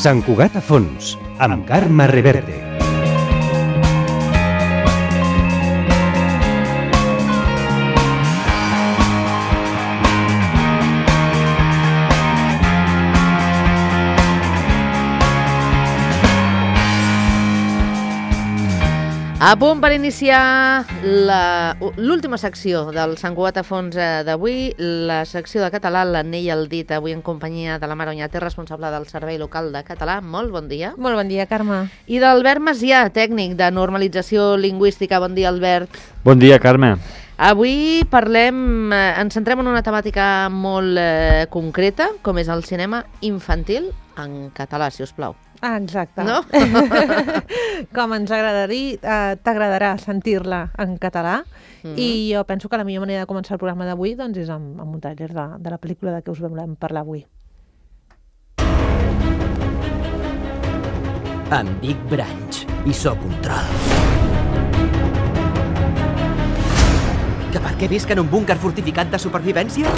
Sant Cugat a fons, amb Carme Reverte. A punt per iniciar l'última secció del Sant Cugat a fons d'avui, la secció de català, l'Anell al dit, avui en companyia de la Mara Oñate, responsable del Servei Local de Català. Molt bon dia. Molt bon dia, Carme. I d'Albert Macià, tècnic de normalització lingüística. Bon dia, Albert. Bon dia, Carme. Avui ens centrem en una temàtica molt concreta, com és el cinema infantil en català, si us plau. Ah, exacte. No? Com ens t'agradarà sentir-la en català. I jo penso que la millor manera de començar el programa d'avui doncs, és amb un tràiler de la pel·lícula de què us volem parlar avui. Em dic Branch i sóc un troll. Que per què visc en un búnquer fortificat de supervivència?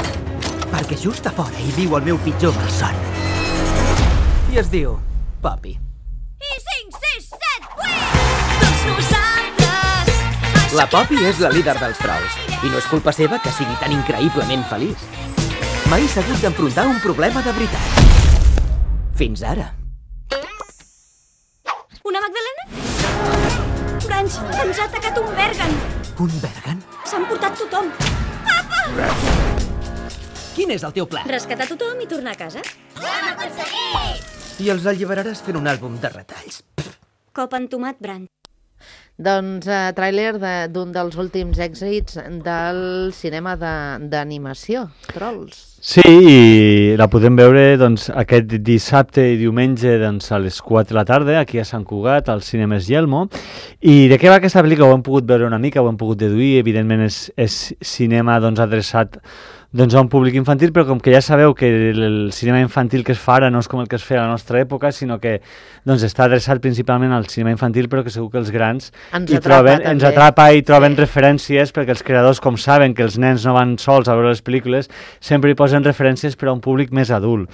Perquè just a fora hi viu el meu pitjor malson. I es diu Poppy. I 5, 6, 7, 8! Tots nosaltres! La Poppy és la líder dels trolls i no és culpa seva que sigui tan increïblement feliç. Mai s'ha hagut d'enfrontar un problema de veritat. Fins ara. Una Magdalena? Branch, ens ha atacat un Bergen. Un Bergen? S'han portat tothom. Quin és el teu pla? Rescatar tothom i tornar a casa. L'hem aconseguit! I els alliberaràs fent un àlbum de retalls. Cop entomat, Branch. Doncs tràiler d'un dels últims èxits del cinema d'animació, Trolls. Sí, i la podem veure doncs, aquest dissabte i diumenge doncs, a les 4 de la tarda, aquí a Sant Cugat, al Cinemes Yelmo. I de què va aquesta pel·lícula? Ho hem pogut veure una mica, ho hem pogut deduir. Evidentment és cinema doncs, adreçat a un públic infantil, però com que ja sabeu que el cinema infantil que es fa ara no és com el que es feia a la nostra època, sinó que doncs, està adreçat principalment al cinema infantil, però que segur que els grans ens atrapa i troben referències, perquè els creadors, com saben que els nens no van sols a veure les pel·lícules, sempre hi posen referències per a un públic més adult.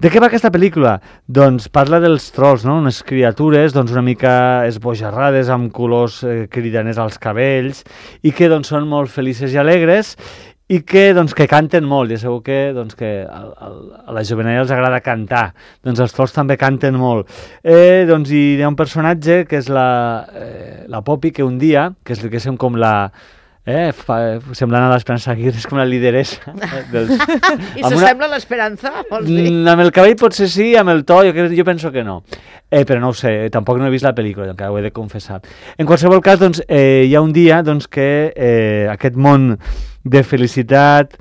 De què va aquesta pel·lícula? Doncs parla dels trolls, no? Unes criatures doncs, una mica esbojarrades, amb colors cridaners als cabells, i que doncs, són molt felices i alegres, i que canten molt, ja sabeu que a la jovenella els agrada cantar, doncs els trolls també canten molt. Hi ha un personatge que és la Poppy, que un dia, que és com la... semblant a l'Esperança Aguirre, és com la lideressa. I s'assembla a l'Esperanza, vols dir? Amb el cabell potser sí, amb el to jo penso que no. Però no ho sé, tampoc no he vist la pel·lícula, encara ho he de confessar. En qualsevol cas, hi ha un dia que aquest món de felicitat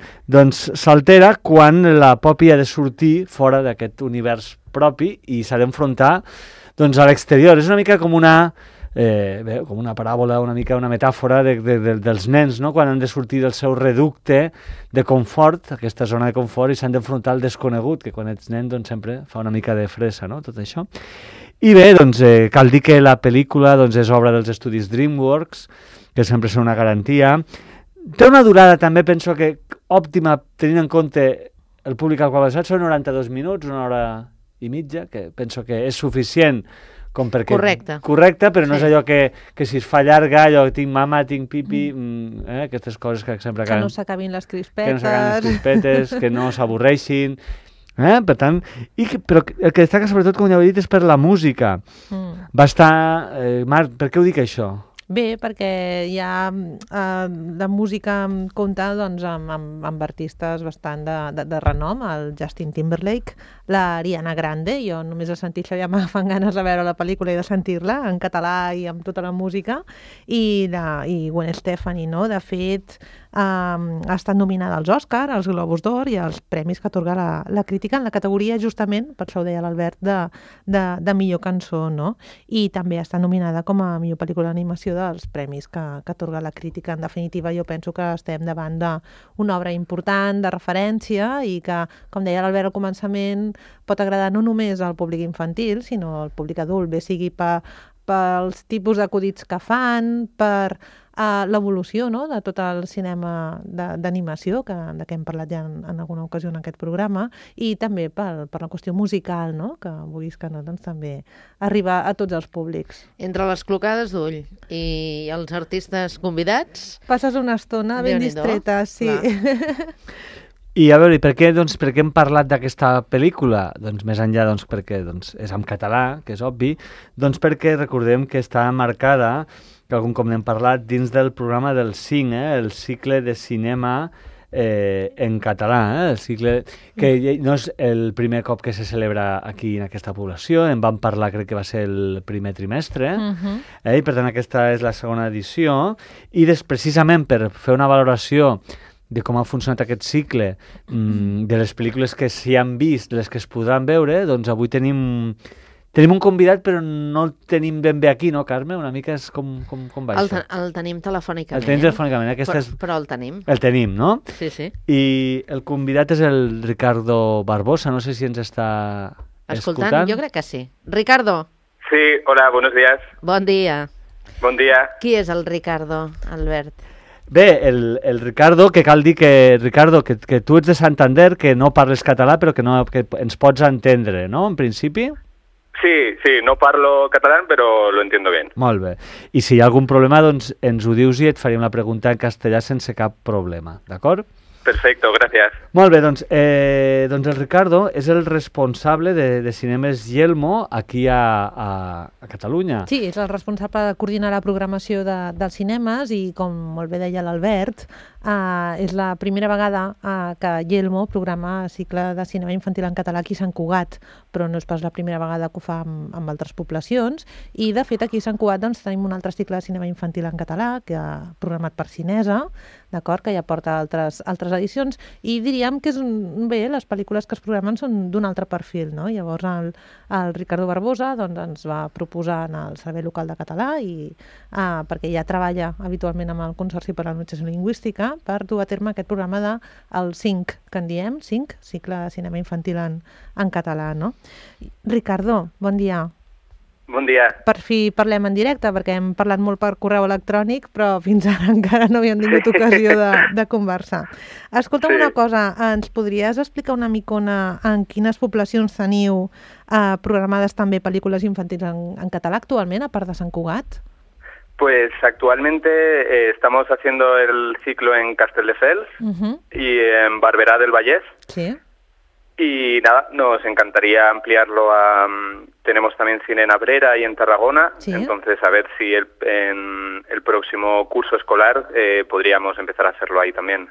s'altera quan la Poppy ha de sortir fora d'aquest univers propi i s'ha d'enfrontar a l'exterior. És una mica com una paràbola, una mica una metàfora dels nens, no? Quan han de sortir del seu reducte de confort, aquesta zona de confort, i s'han d'enfrontar al desconegut, que quan ets nen sempre fa una mica de fressa, no? Tot això. I bé, cal dir que la pel·lícula és obra dels estudis DreamWorks, que sempre són una garantia. Té una durada també, penso que òptima, tenint en compte el públic al qual ha estat, són 92 minuts, 1 hora i mitja, que penso que és suficient com perquè... Correcte, però no és allò que si es fa llarga, allò tinc mama, tinc pipi, aquestes coses que sempre acaben... Que no s'acabin les crispetes. Que no s'avorreixin... Per tant, però el que destaca sobretot, com ja ho he dit, és per la música. Va estar... Marc, per què ho dic això? Bé, perquè hi ha la música compta amb artistes bastant de renom, el Justin Timberlake, la Ariana Grande, jo només he sentit això ja m'agafant ganes de veure la pel·lícula i de sentir-la en català i amb tota la música, i Gwen Stefani, no? De fet, ha estat nominada als Òscar, als Globus d'Or i als premis que atorga la crítica en la categoria, justament, per això ho deia l'Albert, de millor cançó, no? I també ha estat nominada com a millor pel·lícula d'animació dels premis que atorga la crítica. En definitiva, jo penso que estem davant d'una obra important, de referència, i que, com deia l'Albert al començament, pot agradar no només al públic infantil, sinó al públic adult, bé sigui pels tipus d'acudits que fan, per l'evolució, no?, de tot el cinema d'animació, de què hem parlat ja en alguna ocasió en aquest programa, i també per la qüestió musical, no?, que vulguis que no, doncs també arriba a tots els públics. Entre les clocades d'ull i els artistes convidats... Passes una estona ben distreta, sí. I a veure, per què hem parlat d'aquesta pel·lícula? Doncs més enllà perquè és en català, que és obvi, doncs perquè recordem que està marcada, que algun cop n'hem parlat, dins del programa del CINC, el cicle de cinema en català, el cicle que no és el primer cop que se celebra aquí en aquesta població, en vam parlar, crec que va ser el primer trimestre, i per tant aquesta és la segona edició, i precisament per fer una valoració de com ha funcionat aquest cicle, de les pel·lícules que s'hi han vist, les que es podran veure, doncs avui tenim un convidat, però no el tenim ben bé aquí, no, Carme? Una mica és com va això? El tenim telefònicament. El tenim telefònicament. Però el tenim. El tenim, no? Sí. I el convidat és el Ricardo Barbosa, no sé si ens està escoltant. Jo crec que sí. Ricardo. Sí, hola, buenos días. Bon dia. Bon dia. Qui és el Ricardo, Albert? Bé, el Ricardo, que cal dir que, Ricardo, que tu ets de Santander, que no parles català, però que ens pots entendre, no?, en principi? Sí, no parlo catalán, pero lo entiendo bien. Molt bé. I si hi ha algun problema, doncs ens ho dius i et faríem la pregunta en castellà sense cap problema, d'acord? Perfecto, gracias. Molt bé, doncs el Ricardo és el responsable de Cinemes Yelmo aquí a Catalunya. Sí, és el responsable de coordinar la programació dels cinemes i, com molt bé deia l'Albert, és la primera vegada que Yelmo programa cicle de cinema infantil en català aquí a Sant Cugat, però no és pas la primera vegada que ho fa amb altres poblacions, i de fet aquí a Sant Cugat doncs, tenim un altre cicle de cinema infantil en català que ha programat per Cinesa, d'acord, que ja porta altres edicions, i diríem que les pel·lícules que es programen són d'un altre perfil, no? Llavors el Ricardo Barbosa doncs, ens va proposar en el Servei Local de Català, perquè ja treballa habitualment amb el Consorci per a la Normalització Lingüística, per dur a terme aquest programa del CINC, que en diem, CINC, Cicle de Cinema Infantil en català, no? Ricardo, bon dia. Bon dia. Per fi parlem en directe, perquè hem parlat molt per correu electrònic, però fins ara encara no havíem tingut ocasió de conversar. Escolta'm una cosa, ens podries explicar una micona en quines poblacions teniu programades també pel·lícules infantils en català actualment, a part de Sant Cugat? Pues actualmente estamos haciendo el ciclo en Castelldefels y en Barberá del Vallès. Sí. Y nada, nos encantaría ampliarlo tenemos también cine en Abrera y en Tarragona, ¿sí? Entonces a ver si en el próximo curso escolar podríamos empezar a hacerlo ahí también.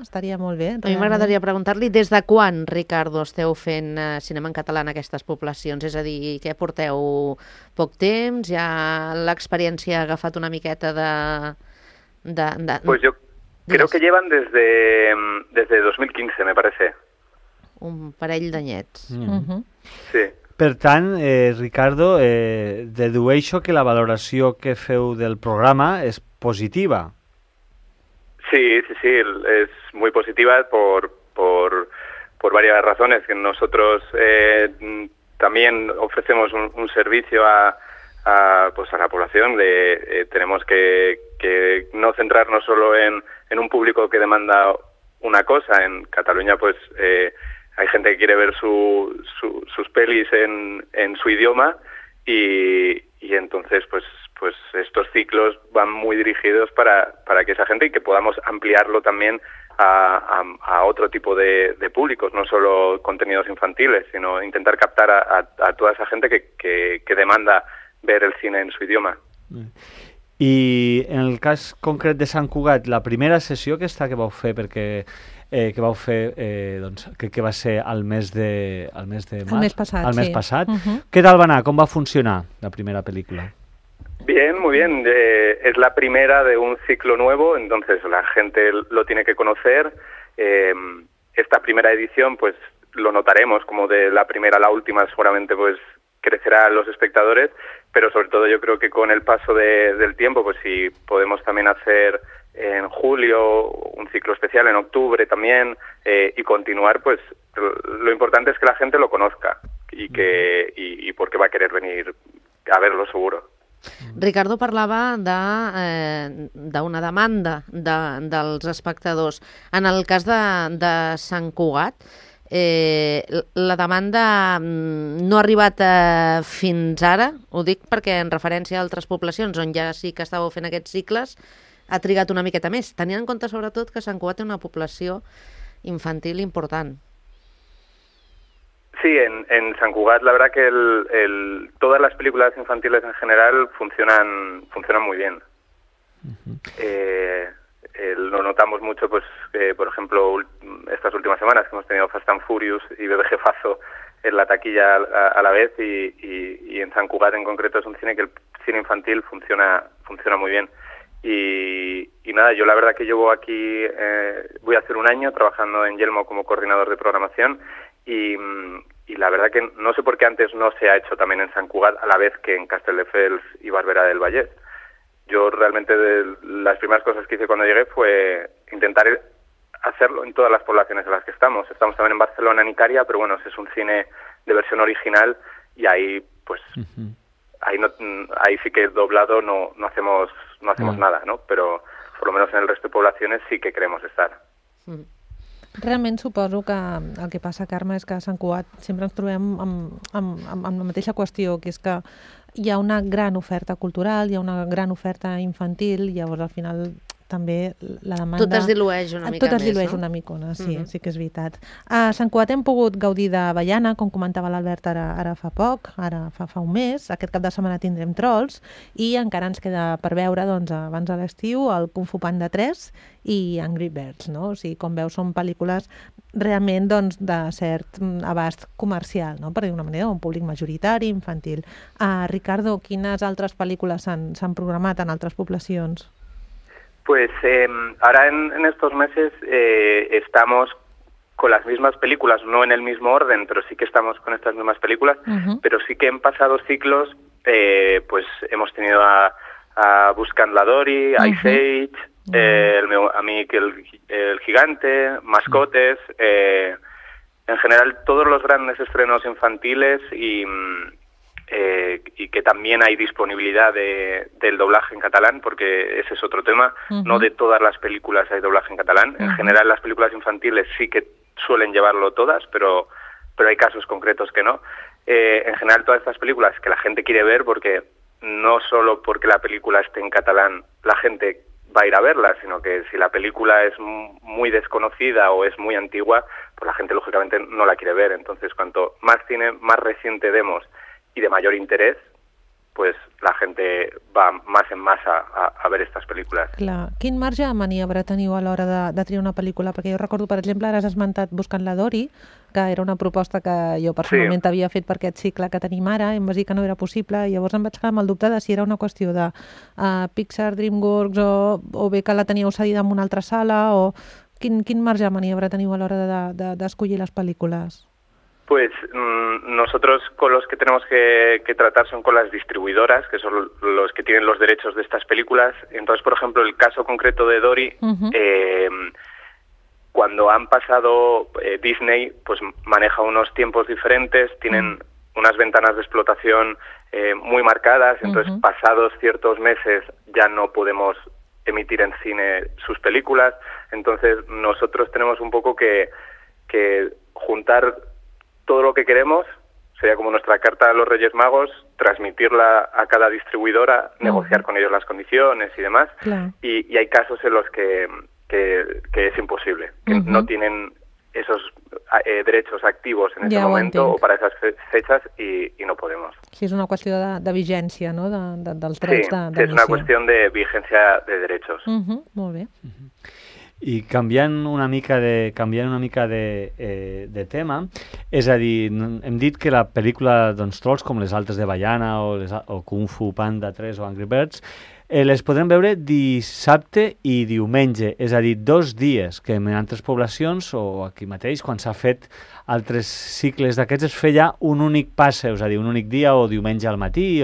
Estaria molt bé. A mi m'agradaria preguntar-li des de quan, Ricardo, esteu fent cinema en català en aquestes poblacions? És a dir, què porteu poc temps? Ja l'experiència ha agafat una miqueta de... Pues yo creo que llevan desde 2015, me parece. Un parell d'anyets. Sí. Per tant, Ricardo, dedueixo que la valoració que feu del programa és positiva. Sí, es muy positiva por varias razones. Que nosotros también ofrecemos un servicio a la población. Tenemos que no centrarnos solo en un público que demanda una cosa. En Cataluña, pues... hay gente que quiere ver sus pelis en su idioma y entonces pues estos ciclos van muy dirigidos para que esa gente y que podamos ampliarlo también a otro tipo de públicos, no solo contenidos infantiles, sino intentar captar a toda esa gente que demanda ver el cine en su idioma. I en el cas concret de Sant Cugat, la primera sessió que vau fer, perquè crec que va ser al mes de març, el mes passat. Què tal va anar? Com va funcionar la primera película? Bien, muy bien. Es la primera de un ciclo nuevo, entonces la gente lo tiene que conocer. Esta primera edición, pues lo notaremos como de la primera a la última, seguramente pues crecerá los espectadores, pero sobre todo yo creo que con el paso del tiempo, pues si podemos también hacer en julio un ciclo especial, en octubre también, y continuar, pues lo importante es que la gente lo conozca y porque va a querer venir a verlo seguro. Ricardo parlava d'una demanda dels espectadors. En el cas de Sant Cugat, la demanda no ha arribat fins ara, ho dic perquè en referència a altres poblacions on ja sí que estàveu fent aquests cicles, ha trigat una miqueta més, tenint en compte sobretot que Sant Cugat té una població infantil important. Sí, en San Cugat la verdad que todas las películas infantiles en general funcionan muy bien. Lo notamos mucho, pues por ejemplo, estas últimas semanas que hemos tenido Fast and Furious y Bebé Jefazo en la taquilla a la vez y en San Cugat en concreto es un cine que el cine infantil funciona muy bien. Y nada, yo la verdad que llevo aquí, voy a hacer un año trabajando en Yelmo como coordinador de programación y la verdad que no sé por qué antes no se ha hecho también en Sant Cugat a la vez que en Castelldefels y Barberà del Vallès. Yo realmente las primeras cosas que hice cuando llegué fue intentar hacerlo en todas las poblaciones en las que estamos. Estamos también en Barcelona, en Icària, pero bueno, es un cine de versión original y ahí pues ahí sí que doblado no hacemos nada, ¿no? Pero por lo menos en el resto de poblaciones sí que queremos estar. Realment suposo que el que passa, Carme, és que a Sant Cugat sempre ens trobem amb la mateixa qüestió, que és que hi ha una gran oferta cultural, hi ha una gran oferta infantil, i llavors al final també la demanda... Tot es dilueix una mica més, no? Tot es dilueix una micona, sí, sí que és veritat. A Sant Cugat hem pogut gaudir d'Avellana, com comentava l'Albert ara fa poc, ara fa un mes. Aquest cap de setmana tindrem Trolls i encara ens queda per veure, doncs, abans de l'estiu, el Kung Fu Panda 3 i Angry Birds, no? O sigui, com veus, són pel·lícules realment, doncs, de cert abast comercial, no? Per dir d'una manera, un públic majoritari, infantil. Ricardo, quines altres pel·lícules s'han programat en altres poblacions? Pues ahora en estos meses estamos con las mismas películas, no en el mismo orden, pero sí que estamos con estas mismas películas, pero sí que en pasados ciclos pues hemos tenido a Buscant la Dory, Ice Age, a mí el Gigante, Mascotes, en general todos los grandes estrenos infantiles y que también hay disponibilidad del doblaje en catalán, porque ese es otro tema. No de todas las películas hay doblaje en catalán. En general las películas infantiles sí que suelen llevarlo todas, pero hay casos concretos que no. En general todas estas películas que la gente quiere ver, porque no solo porque la película esté en catalán la gente va a ir a verla, sino que si la película es muy desconocida o es muy antigua, pues la gente lógicamente no la quiere ver. Entonces cuanto más cine más reciente demos y de mayor interés, pues la gente va más en masa a ver estas pel·lícules. Clar. Quin marge de maniobra teniu a l'hora de triar una pel·lícula? Perquè jo recordo, per exemple, ara has esmentat Buscant la Dory, que era una proposta que jo personalment t'havia fet per aquest cicle que tenim ara, i em vas dir que no era possible, i llavors em vaig quedar amb el dubte de si era una qüestió de Pixar, DreamWorks, o bé que la teníeu cedida en una altra sala, o quin marge de maniobra teniu a l'hora d'escollir les pel·lícules? Pues nosotros con los que tenemos que tratar son con las distribuidoras, que son los que tienen los derechos de estas películas. Entonces, por ejemplo, el caso concreto de Dory, cuando han pasado Disney, pues maneja unos tiempos diferentes, tienen unas ventanas de explotación muy marcadas, entonces pasados ciertos meses ya no podemos emitir en cine sus películas. Entonces nosotros tenemos un poco que juntar todo lo que queremos, sería como nuestra carta a los Reyes Magos, transmitirla a cada distribuidora, negociar con ellos las condiciones y demás. Claro. Y hay casos en los que es imposible, que no tienen esos derechos activos en ese momento o para esas fechas y no podemos. Sí, és una qüestió de vigència, no?, dels drets d'emissió. Sí, és una qüestió de vigència de derechos. Molt bé. I canviant una mica de tema, és a dir, hem dit que la pel·lícula Trolls, com les altres de Avellana o Kung Fu Panda 3 o Angry Birds, les podrem veure dissabte i diumenge, és a dir, 2 dies, que en altres poblacions o aquí mateix, quan s'ha fet altres cicles d'aquests, es feia un únic passe, és a dir, un únic dia o diumenge al matí.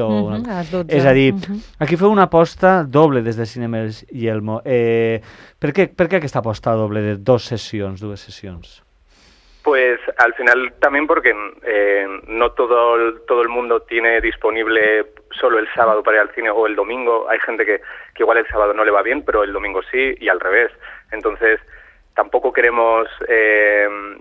És a dir, aquí feu una aposta doble des de Cinemes Yelmo. Per què aquesta aposta doble de dues sessions? Pues al final también porque no todo el mundo tiene disponible solo el sábado para ir al cine o el domingo. Hay gente que igual el sábado no le va bien, pero el domingo sí, y al revés. Entonces tampoco queremos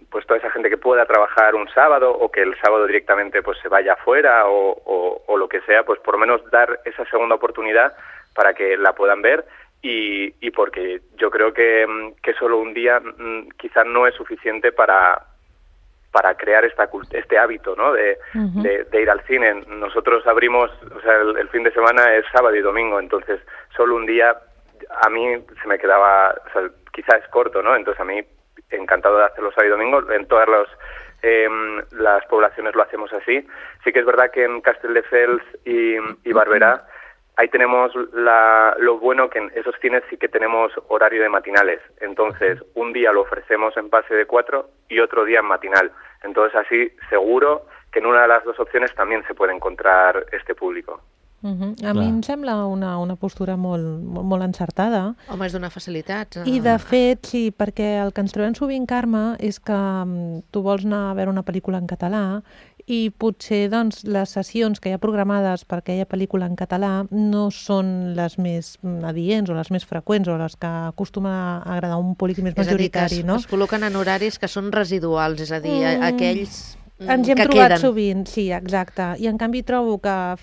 pues toda esa gente que pueda trabajar un sábado o que el sábado directamente pues se vaya afuera o lo que sea, pues por lo menos dar esa segunda oportunidad para que la puedan ver. Y porque yo creo que solo un día quizás no es suficiente para crear este hábito, ¿no? de ir al cine. Nosotros abrimos, o sea, el fin de semana es sábado y domingo, entonces solo un día a mí se me quedaba, o sea, quizás es corto, ¿no? Entonces a mí encantado de hacerlo sábado y domingo. En todas las poblaciones lo hacemos así. Sí que es verdad que en Castelldefels y Barberá ahí tenemos lo bueno que en esos cines sí que tenemos horario de matinales. Entonces, un día lo ofrecemos en pase de 4 y otro día en matinal. Entonces, así seguro que en una de las dos opciones también se puede encontrar este público. A mi em sembla una postura molt encertada. Home, és d'una facilitat. I, de fet, sí, perquè el que ens trobem sovint, Carme, és que tu vols anar a veure una pel·lícula en català i potser doncs, les sessions que hi ha programades per aquella pel·lícula en català no són les més adients o les més freqüents o les que acostuma a agradar un públic més majoritari. És a dir, que es col·loquen en horaris que són residuals, és a dir, aquells ens hi hem que trobat queden. sovint, sí, exacte. I en canvi trobo que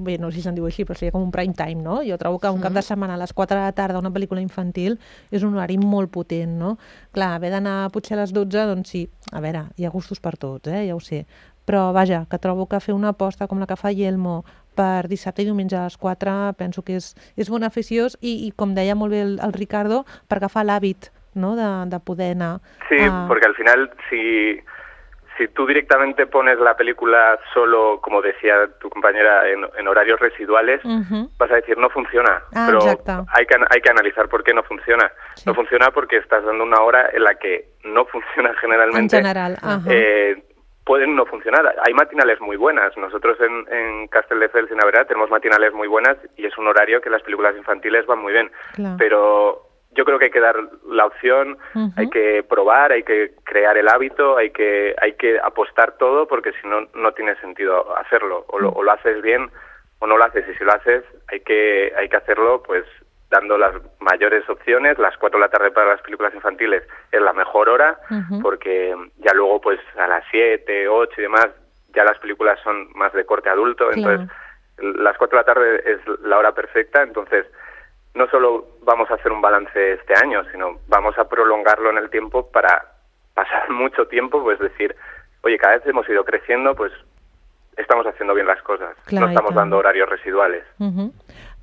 bé, no sé si se'n diu així, però seria com un prime time, no? Jo trobo que un cap de setmana a les 4 de la tarda una pel·lícula infantil és un horari molt potent, no? Clar, haver d'anar potser a les 12, doncs sí, a veure, hi ha gustos per tots, ja ho sé. Però vaja, que trobo que fer una aposta com la que fa Yelmo per dissabte i diumenge a les 4 penso que és beneficiós i com deia molt bé el Ricardo, per agafar l'hàbit, no?, de poder anar. Sí, porque al final si tú directamente pones la película solo, como decía tu compañera, en horarios residuales, vas a decir, no funciona. Pero hay que analizar por qué no funciona. Sí. No funciona porque estás dando una hora en la que no funciona generalmente. En general, pueden no funcionar. Hay matinales muy buenas. Nosotros en Castelldefels y en Barberá tenemos matinales muy buenas y es un horario que las películas infantiles van muy bien. Claro. Pero yo creo que hay que dar la opción, hay que probar, hay que crear el hábito, hay que apostar todo, porque si no, no tiene sentido hacerlo. O lo haces bien o no lo haces. Y si lo haces, hay que hacerlo pues dando las mayores opciones. Las 4 de la tarde para las películas infantiles es la mejor hora, porque ya luego pues a las 7, 8 y demás, ya las películas son más de corte adulto. Claro. Entonces las 4 de la tarde es la hora perfecta. Entonces no solo vamos a hacer un balance este año, sino vamos a prolongarlo en el tiempo para pasar mucho tiempo, pues decir, oye, cada vez hemos ido creciendo, pues estamos haciendo bien las cosas, no estamos dando horarios residuales.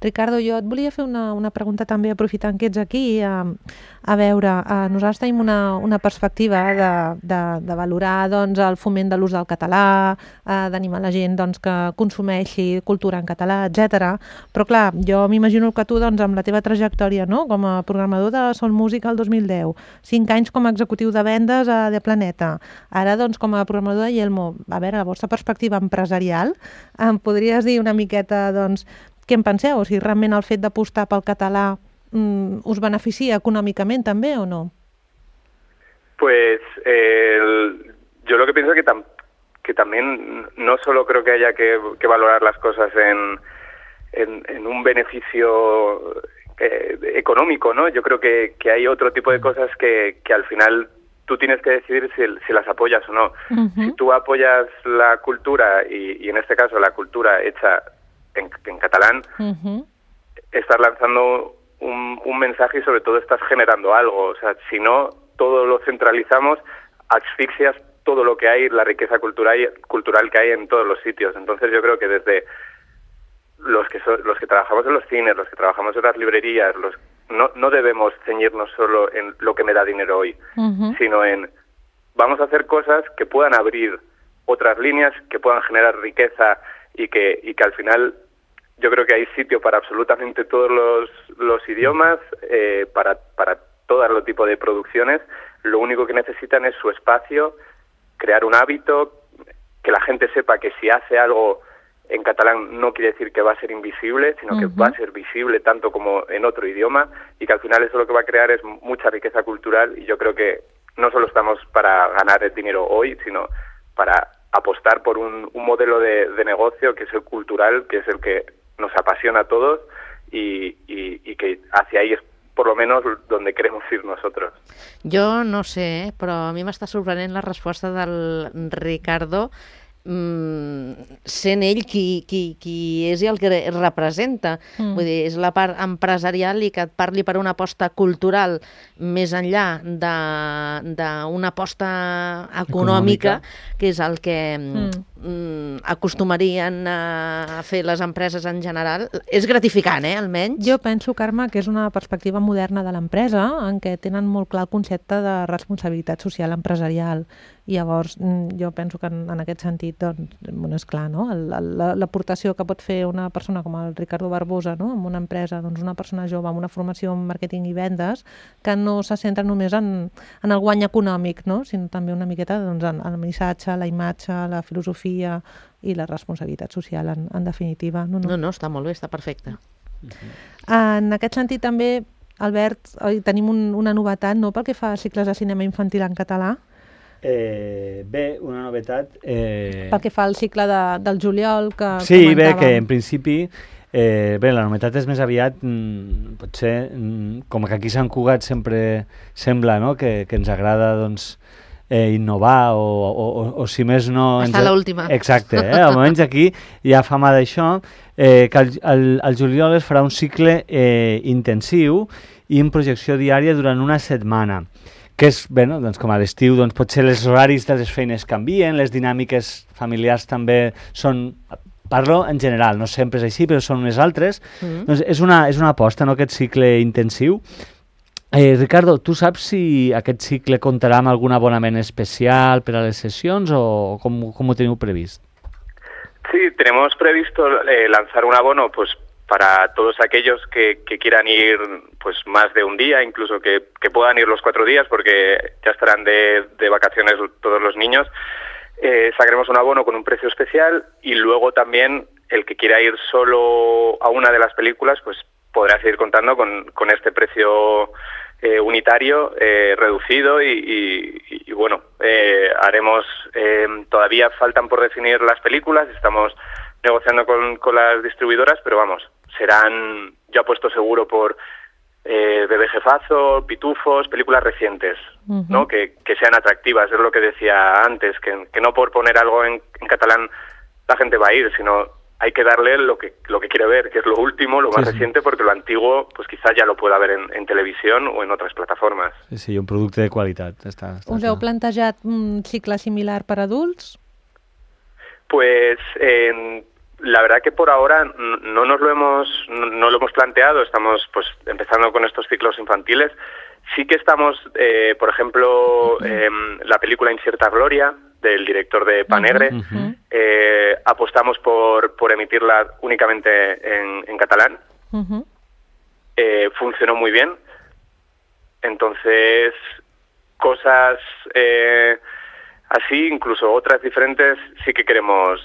Ricardo, jo et volia fer una pregunta també, aprofitant que ets aquí, a veure, nosaltres tenim una perspectiva de valorar doncs, el foment de l'ús del català, d'animar la gent doncs, que consumeixi cultura en català, etc. Però clar, jo m'imagino que tu doncs, amb la teva trajectòria, no?, com a programador de Sol Música el 2010, 5 anys com a executiu de vendes a The Planeta, ara doncs, com a programador de Yelmo, a veure, la vostra perspectiva empresarial, em podries dir una miqueta doncs, què en penseu? O sigui, realment el fet d'apostar pel català us beneficia econòmicament també o no? Pues yo lo que pienso es que también no solo creo que haya que valorar las cosas en un beneficio económico, ¿no? Yo creo que hay otro tipo de cosas que al final tú tienes que decidir si las apoyas o no. Si tú apoyas la cultura y en este caso la cultura hecha en catalán, estás lanzando un mensaje y sobre todo estás generando algo. O sea, si no, todo lo centralizamos, asfixias todo lo que hay, la riqueza cultural que hay en todos los sitios. Entonces yo creo que desde los que trabajamos en los cines, los que trabajamos en las librerías, no debemos ceñirnos solo en lo que me da dinero hoy, sino en vamos a hacer cosas que puedan abrir otras líneas, que puedan generar riqueza y que al final yo creo que hay sitio para absolutamente todos los idiomas, para todo los tipos de producciones. Lo único que necesitan es su espacio, crear un hábito, que la gente sepa que si hace algo en catalán no quiere decir que va a ser invisible, sino que va a ser visible tanto como en otro idioma, y que al final eso lo que va a crear es mucha riqueza cultural, y yo creo que no solo estamos para ganar el dinero hoy, sino para apostar por un modelo de negocio que es el cultural, que es el que nos apasiona a todos y que hacia ahí es por lo menos donde queremos ir nosotros. Jo no sé, però a mi m'està sorprenent la resposta del Ricardo, sent ell qui és i el que representa. Vull dir, és la part empresarial i que et parli per una aposta cultural més enllà d'una aposta econòmica, que és el que acostumarien a fer les empreses en general. És gratificant, almenys. Jo penso, Carme, que és una perspectiva moderna de l'empresa en què tenen molt clar el concepte de responsabilitat social empresarial. I llavors jo penso que en aquest sentit, doncs, és clar, no? L'aportació que pot fer una persona com el Ricardo Barbosa, no? En una empresa, doncs una persona jove amb una formació en màrqueting i vendes, que no se centra només en el guany econòmic, no? Sinó també una miqueta doncs, en el missatge, la imatge, la filosofia i la responsabilitat social, en definitiva. No, està molt bé, està perfecte. En aquest sentit també, Albert, tenim una novetat, no?, pel que fa a cicles de cinema infantil en català. Bé, una novetat... Pel que fa al cicle del juliol que comentàvem. Bé, que en principi... Bé, la novetat és més aviat, potser, com que aquí a Sant Cugat sempre sembla, no?, que ens agrada, doncs, innovar o si més no... Està l'última. Exacte, almenys aquí hi ha fama d'això, que al juliol es farà un cicle intensiu i en projecció diària durant una setmana, que és, bé, no? Doncs com a l'estiu, doncs potser els horaris de les feines canvien, les dinàmiques familiars també són... Parlo en general, no sempre és així, però són unes altres. Doncs és una aposta, no?, aquest cicle intensiu. Ricardo, tu saps si aquest cicle comptarà amb algun abonament especial per a les sessions o com ho teniu previst? Sí, tenemos previsto lanzar un abono pues para todos aquellos que quieran ir pues más de un día, incluso que puedan ir los 4 días porque ya estarán de vacaciones todos los niños. Sacaremos un abono con un precio especial y luego también el que quiera ir solo a una de las películas pues podrá seguir contando con este precio unitario reducido y bueno, haremos, todavía faltan por definir las películas, estamos negociando con las distribuidoras, pero vamos, serán, yo apuesto seguro por Bebé Jefazo, Pitufos, películas recientes, ¿no? Que sean atractivas, es lo que decía antes, que no por poner algo en catalán la gente va a ir, sino hay que darle lo que quiere ver, que es lo último, lo más reciente, porque lo antiguo pues quizás ya lo pueda ver en televisión o en otras plataformas. Sí, un producte de qualitat. Us heu plantejat un cicle similar per adults? Pues la verdad que por ahora no lo hemos planteado, estamos pues empezando con estos ciclos infantiles. Sí que estamos, por ejemplo, la película Incierta Gloria, del director de Panegre, apostamos por emitirla únicamente en catalán. Funcionó muy bien. Entonces, cosas así, incluso otras diferentes, sí que queremos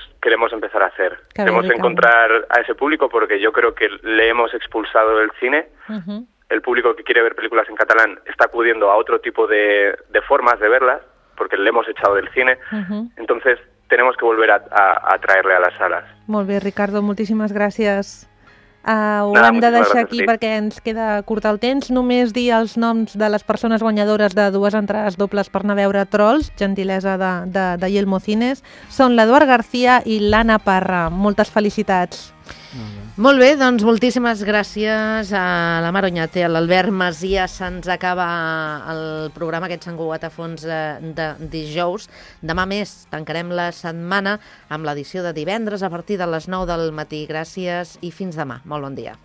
empezar a hacer. Queremos encontrar a ese público porque yo creo que le hemos expulsado del cine. El público que quiere ver películas en catalán está acudiendo a otro tipo de formas de verlas, porque le hemos echado del cine. Entonces, tenemos que volver a traerle a las salas. Molt bé, Ricardo, moltíssimes gràcies. Ho hem de deixar aquí perquè ens queda curt el temps. Només dir els noms de les persones guanyadores de 2 entrades dobles per anar a veure Trolls, gentilesa de Yelmo Cines. Són l'Eduard García i l'Anna Parra. Moltes felicitats. Molt bé, doncs moltíssimes gràcies a la Mar Oñate, a l'Albert Masia. Se'ns acaba el programa, aquest Sant Cugat a fons de dijous. Demà més tancarem la setmana amb l'edició de divendres a partir de les 9 del matí. Gràcies i fins demà. Molt bon dia.